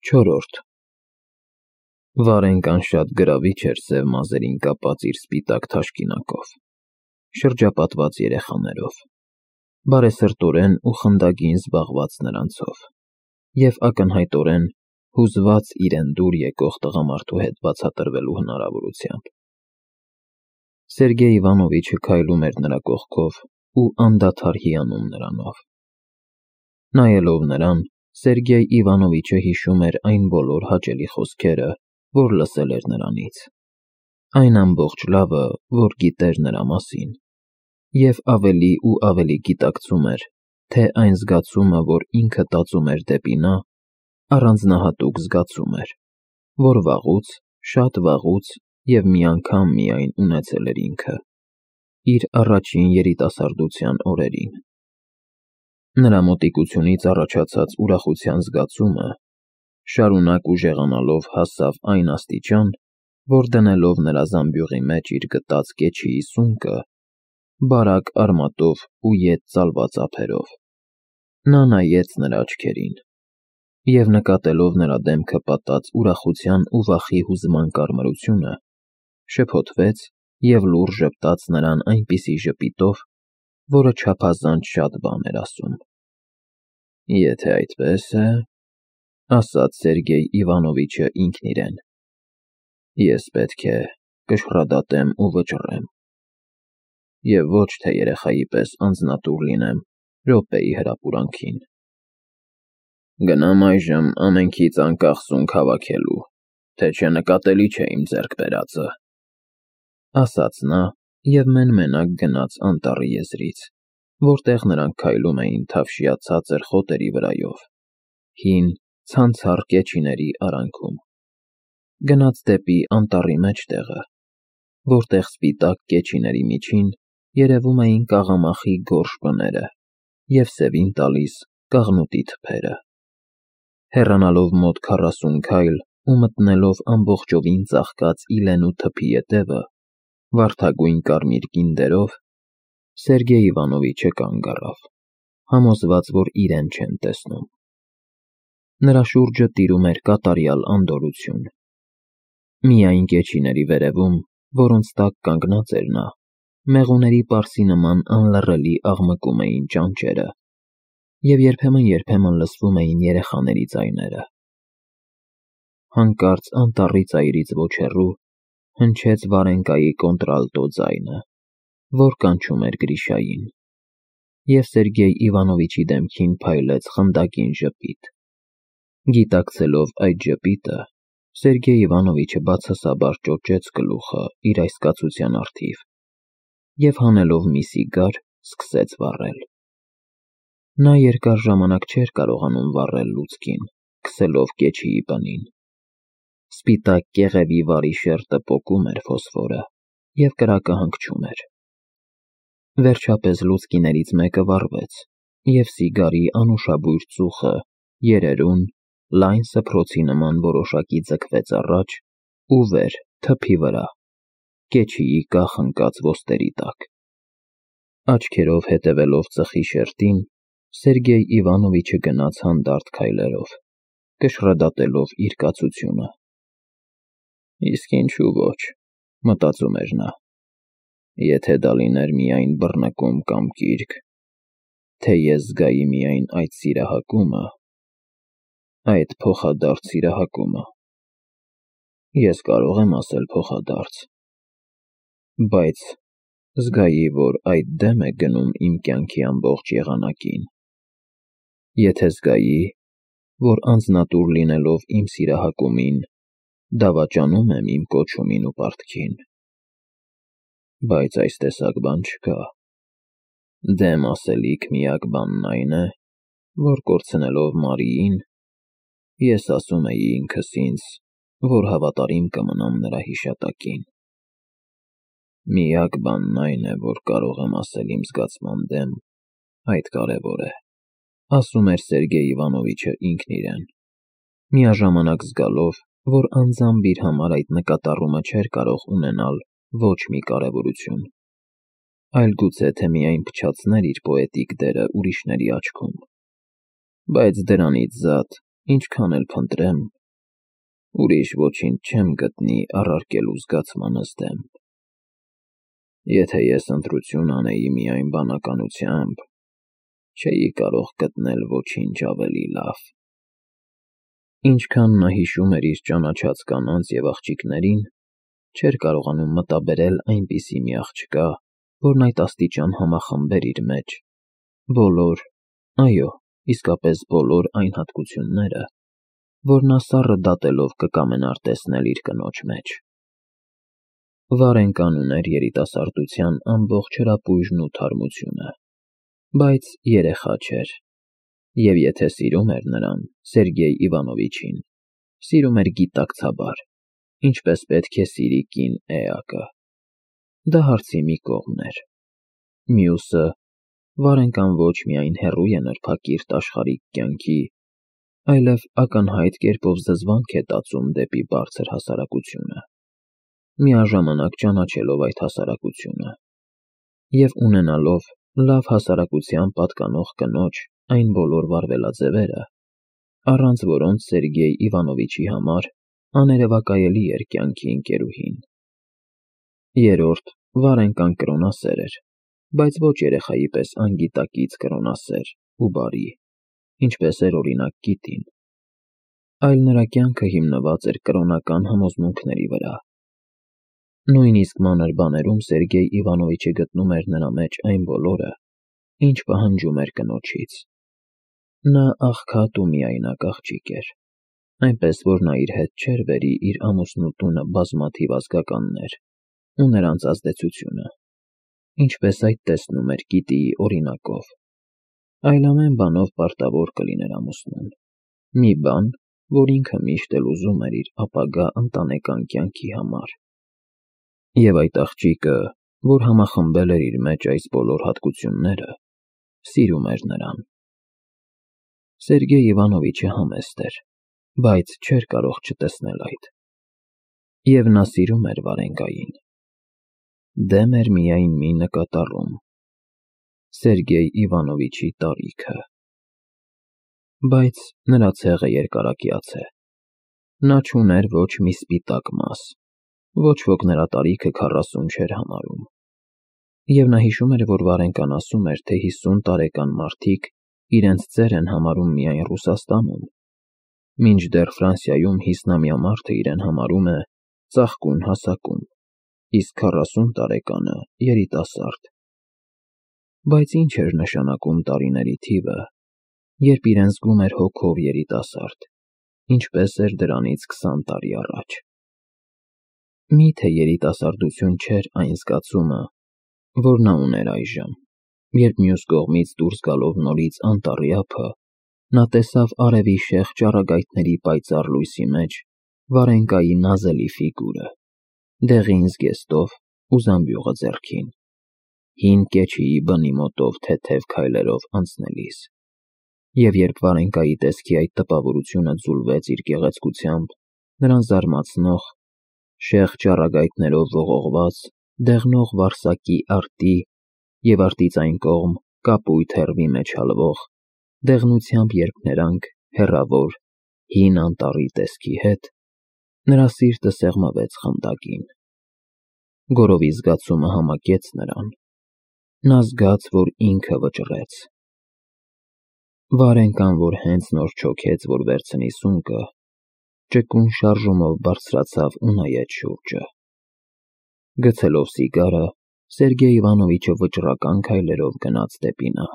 Չորրորդ Վարենկան շատ գրավիչ էր սև մազերին կապած իր սպիտակ թաշկինակով, շրջապատված երեխաներով, բարեսրտորեն ու խնդագին զբաղված նրանցով և ակնհայտորեն հուզված իրեն դուր եկող տղամարդու հետ բացատրվելու հնարավորությամբ։ Սերգեյ Իվանովիչը քայլում էր նրա կողքով ու անդադար հիանում նրանով։ Նայելով նրան, Սերգեյ Իվանովիչը հիշում էր այն բոլոր հաճելի խոսքերը, որ լսել էր նրանից, այն ամբողջ լավը, որ գիտեր նրա մասին, և ավելի ու ավելի գիտակցում էր, թե այն զգացումը, որ ինքը տածում էր դեպի նա, առանձնահատուկ զգացում էր, որ վաղուց, շատ վաղուց և մի անգամ միայն ունեցել էր ինքը, իր առաջին երիտասարդության օրերին։ Նրա մոտիկությունից առաջացած ուրախության զգացումը շարունակ ուժեղանալով հասավ այն աստիճան, որ դնելով նրա զամբյուղի մեջ իր գտած կեչիի սունկը, բարակ արմատով ու ետ ծալված ափերով, նա նայեց նրա աչքերին և նկատելով նրա դեմքը պատած ուրախության ու վախի հուզման կարմրությունը, շփոթվեց և լուռ ժպտաց նրան այնպիսի ժպիտով, որը չափազանց շատ բան էր ասում։ Եթե այդպես է, ասաց Սերգեյ Իվանովիչը ինքն իրեն, ես պետք է կշռադատեմ ու վճռեմ, և ոչ թե երեխայի պես անձնատուր լինեմ րոպեի հրապուրանքին։ Գնամ այժմ ամենքից անկախ սունկ հավաքելու, թե չէ նկատելի չէ իմ ձեռք բերածը, ասաց նա և մեն-մենակ գնաց անտառի եզրից, որտեղ նրանք քայլում էին թավշյա ցածր խոտերի վրայով, հին, ցանցառ կեչիների արանքում։ Գնաց դեպի անտառի մեջտեղը, որտեղ սպիտակ կեչիների միջին երևում էին կաղամախի գորշ բները և սևին տալիս կաղնուտի թփերը։ Հեռանալով մոտ 40 քայլ ու մտնելով ամբողջովին ծաղկած իլենու թփի ետևը, վարդագույն կարմիր գինդերով, Սերգեյ Իվանովիչը կանգ առավ, համոզված, որ իրեն չեն տեսնում։ Նրա շուրջը տիրում էր կատարյալ անդորրություն։ Միայն կեչիների վերևում, որոնց տակ կանգնած էր նա, մեղուների պարսի նման անլռելի աղմկում էին ճանճերը, և երբեմն լսվում էին երեխաների ձայները։ Հանկարծ անտառի ծայրից ոչ հեռու հնչեց Վարենկայի կոնտրալտո ձայնը, որ կանչում էր Գրիշային, և Սերգեյ Իվանովիչի դեմքին փայլեց խնդակին ժպիտ։ Գիտակցելով այդ ժպիտը, Սերգեյ Իվանովիչը բացասաբար ճոճեց գլուխը իր այս կացության առթիվ և հանելով մի սիգար, սկսեց վառել։ Նա երկար ժամանակ չէր կարողանում վառել լուցկին, քսելով կեչիի պնին։ Սպիտակ կեղևի վարի շերտը պոկում էր ֆոսֆորը, և կրակը հանգչում էր։ Վերջապես լուցկիներից մեկը վառվեց, և սիգարի անուշաբույր ծուխը երերուն, լայն սփռոցի նման որոշակի ձգվեց առաջ ու վեր թփի վրա, կեչիի կախ ընկած ոսტերի տակ։ Աչքերով հետևելով ծխի շերտին, Սերգեյ Իվանովիչը գնաց հանդարտ քայլերով, կշռադատելով իր կացությունը։ Իսկ ինչու ոչ, մտածում էր նա, եթե դա լիներ միայն բռնկում կամ կիրք, թե ես զգայի միայն այդ սիրահակումը, այդ փոխադարձ սիրահակումը, ես կարող եմ ասել փոխադարձ, բայց զգայի, որ այդ դեմ է գնում իմ կյանքի ամբողջ եղանակին, եթե զգայի, որ անձնատուր լինելով իմ սիրահակումին, դավաճանում եմ իմ կոչումին ու պարտքին, բայց այս տեսակ բան չկա։ Դեմ ասելիք միակ բանն այն է, որ կորցնելով Մարիին, ես ասում էի ինքս ինձ, որ հավատարիմ կմնամ նրա հիշատակին։ Միակ բանն այն է, որ կարող եմ ասել իմ զգացման դեմ, այդ կարևոր է, ասում էր Սերգեյ Իվանովիչը ինքն իրեն, միաժամանակ զգալով, որ անձամբ իր համար այդ նկատառումը չէր կարող ունենալ ոչ մի կարևորություն, այլ գուցե թե միայն փչացներ իր պոետիկ դերը ուրիշների աչքում։ Բայց դրանից զատ, ինչքան էլ փնտրեմ, ուրիշ ոչինչ չեմ գտնի առարկելու զգացմանս դեմ։ Եթե ես ընտրություն անեի միայն բանականությամբ, չէի կարող գտնել ոչինչ ավելի լավ։ Ինչքան նա հիշում էր իր ճանաչած կանանց և աղջիկներին, չէր կարողանում մտաբերել այնպիսի մի աղջկա, որն այդ աստիճան համախմբեր իր մեջ բոլոր, այո, իսկապես բոլոր այն հատկությունները, որ նա սառը դատելով կկամենար տեսնել իր կնոջ մեջ։ Վարենկան ուներ երիտասարդության ամբողջ հրապույրն ու թարմությունը, բայց երեխա չէր, և եթե սիրում էր նրան, Սերգեյ Իվանովիչին, սիրում էր գիտակցաբար, ինչպես պետք է սիրի կին էակը։ Դա հարցի մի կողմն էր։ Մյուսը, Վարենկան ոչ միայն հեռու է նրբակիրթ աշխարհիկ կյանքի, այլև ակնհայտ կերպով զզվանք է տածում դեպի բարձր հասարակությունը, միաժամանակ ճանաչելով այդ հասարակությունը և ունենալով լավ հասարակության պատկանող կնոջ այն բոլոր վարվելաձևերը, առանց որոնց Սերգեյ Իվանովիչի համար աներևակայելի էր կյանքի ընկերուհին։ Երրորդ, Վարենկան կրոնասեր էր, բայց ոչ երեխայի պես անգիտակից կրոնասեր ու բարի, ինչպես էր օրինակ Կիտին, այլ նրա կյանքը հիմնված էր կրոնական համոզմունքների վրա։ Նույնիսկ մանր բաներում Սերգեյ Իվանովիչը գտնում էր նրա մեջ այն բոլորը, ինչ պահանջում էր կնոջից։ Նա աղքատ ու միայնակ աղջիկ էր, այնպես որ նա իր հետ չէր բերի իր ամուսնու տունը բազմաթիվ ազգականներ ու նրանց ազդեցությունը, ինչպես այդ տեսնում էր Կիտիի օրինակով, այլ ամեն բանով պարտավոր կլիներ ամուսնուն, մի բան, որ ինքը միշտ էլ ուզում էր իր ապագա ընտանեկան կյանքի համար։ Եվ այդ աղջիկը, որ համախմբել էր իր մեջ այս բոլոր հատկությունները, սիրում էր նրան։ Սերգեյ Իվանովիչը համեստ էր, բայց չէր կարող չտեսնել այդ։ Եվ նա սիրում էր Վարենկային։ Դեմ էր միայն մի նկատառում՝ Սերգեյ Իվանովիչի տարիքը։ Բայց նրա ցեղը երկարակյաց է։ Նա չուներ ոչ մի սպիտակ մաս, ոչ ոք նրա տարիքը 40 չէր համարում։ Եվ նա հիշում էր, որ Վարենկան ասում էր, թե 50 տարեկան մարդիկ իրենց ծեր են համարում միայն Ռուսաստանում, մինչդեռ Ֆրանսիայում 50-ամյա մարդը իրեն համարում է ծաղկուն հասակում, իսկ 40 տարեկանը երիտասարդ։ Բայց ինչ էր նշանակում տարիների թիվը, երբ իրեն զգում էր հոգով երիտասարդ, ինչպես էր դրանից 20 տարի առաջ։ Միթե երիտասարդություն չէր այն զգացումը, որ նա ուներ այժմ, երբ մյուս կողմից դուրս գալով նորից անտառի ափը, նա տեսավ արևի շեղ ճառագայթների պայծառ լույսի մեջ Վարենկայի նազելի ֆիգուրը, դեղին զգեստով ու զամբյուղը ձեռքին, հին կեչիի բնի մոտով թեթև քայլերով անցնելիս։ Եվ երբ Վարենկայի տեսքի այդ տպավորությունը ձուլվեց իր գեղեցկությամբ, նրան զարմացնող, շեղ ճառագայթներով ողողված, դեղնող վարսակի արտի և արտից այն կողմ կապույտ հեռվի մեջ հալվող, դեղնությամբ երփներանգ, հեռավոր, հին անտառի տեսքի հետ, նրա սիրտը սեղմվեց խնդակին։ Գորովի զգացումը համակեց նրան։ Նա զգաց, որ ինքը վճռեց։ Վարենկան, որ հենց նոր չոքեց, որ վերցնի սունկը, ճկուն շարժումով բարձրացավ ու նայեց շուրջը։ Գցելով սիգարը, Սերգեյ Իվանովիչը վճռական քայլերով գնաց դեպի նա։